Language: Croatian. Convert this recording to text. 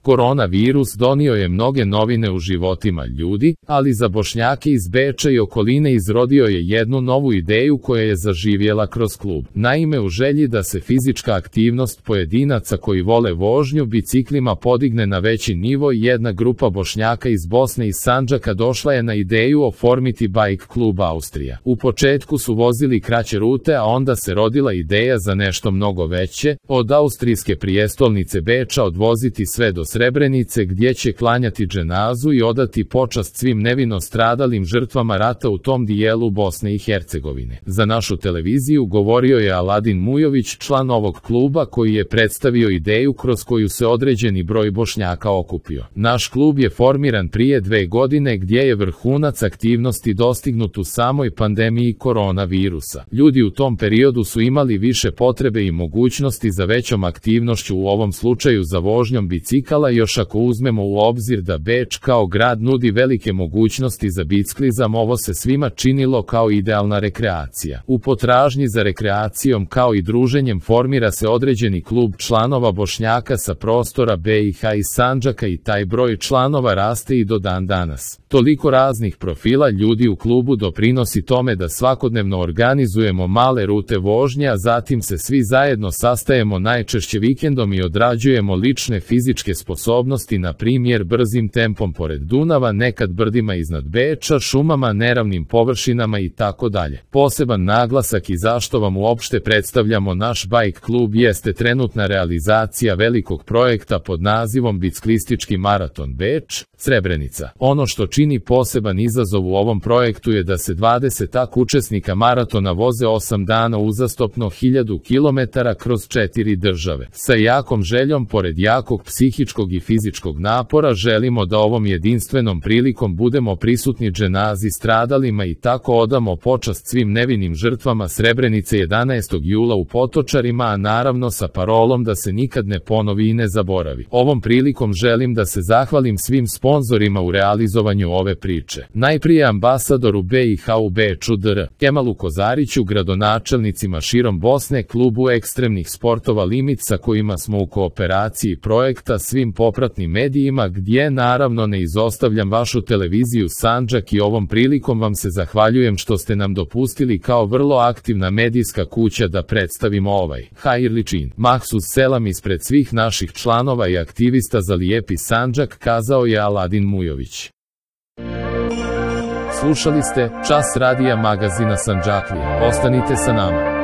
Koronavirus donio je mnoge novine u životima ljudi, ali za Bošnjake iz Beča i okoline izrodio je jednu novu ideju koja je zaživjela kroz klub. Naime, u želji da se fizička aktivnost pojedinaca koji vole vožnju biciklima podigne na veći nivo, jedna grupa Bošnjaka iz Bosne i Sandžaka došla je na ideju oformiti Bike klub Austrija. U početku su vozili kraće rute, a onda se rodila ideja za nešto mnogo veće, od austrijske prijestolnice Beča odvoziti sve do Srebrenice gdje će klanjati dženazu i odati počast svim nevino stradalim žrtvama rata u tom dijelu Bosne i Hercegovine. Za našu televiziju govorio je Aladin Mujović, član ovog kluba, koji je predstavio ideju kroz koju se određeni broj Bošnjaka okupio. Naš klub je formiran prije 2 godine gdje je vrhunac aktivnosti dostignut u samoj pandemiji koronavirusa. Ljudi u tom periodu su imali više potrebe i mogućnosti za većom aktivnošću, u ovom slučaju za vožnjom bicikala, još ako uzmemo u obzir da Beč kao grad nudi velike mogućnosti za biciklizam. Ovo se svima činilo kao idealna rekreacija. U potražnji za rekreacijom kao i druženjem formira se određeni klub članova Bošnjaka sa prostora BiH i Sandžaka i taj broj članova raste i do dan danas. Toliko raznih profila ljudi u klubu doprinosi tome da svakodnevno organizujemo male rute vožnje, a zatim se svi zajedno sastajemo najčešće vikendom i odrađujemo lične fizičke sposobnosti, na primjer brzim tempom pored Dunava, nekad brdima iznad Beča, šumama, neravnim površinama i tako dalje. Poseban naglasak i zašto vam uopšte predstavljamo naš Bike klub jeste trenutna realizacija velikog projekta pod nazivom Biciklistički maraton Beč, Srebrenica. Ono što čini poseban izazov u ovom projektu je da se 20 učesnika maratona voze 8 dana uzastopno 1000 km kroz 4 države. Sa jakom željom, pored jakog psihičkog i fizičkog napora, želimo da ovom jedinstvenom prilikom budemo prisutni dženazi stradalima i tako odamo počast svim nevinim žrtvama Srebrenice 11. jula u Potočarima, a naravno sa parolom da se nikad ne ponovi i ne zaboravi. Ovom prilikom želim da se zahvalim svim sponzorima u realizovanju ove priče. Najprije ambasadoru BiH u Beču dr. Kemalu Kozariću, gradonačelnicima širom Bosne, klubu ekstremnih sportova Limit sa kojima smo u kooperaciji projekta, svim popratnim medijima gdje naravno ne izostavljam vašu televiziju Sandžak, i ovom prilikom vam se zahvaljujem što ste nam dopustili kao vrlo aktivna medijska kuća da predstavimo ovaj hajirli čin. Mahsus selam ispred svih naših članova i aktivista za lijepi Sandžak, kazao je Aladin Mujović. Slušali ste Čas radija magazina Sandžaklija. Ostanite sa nama.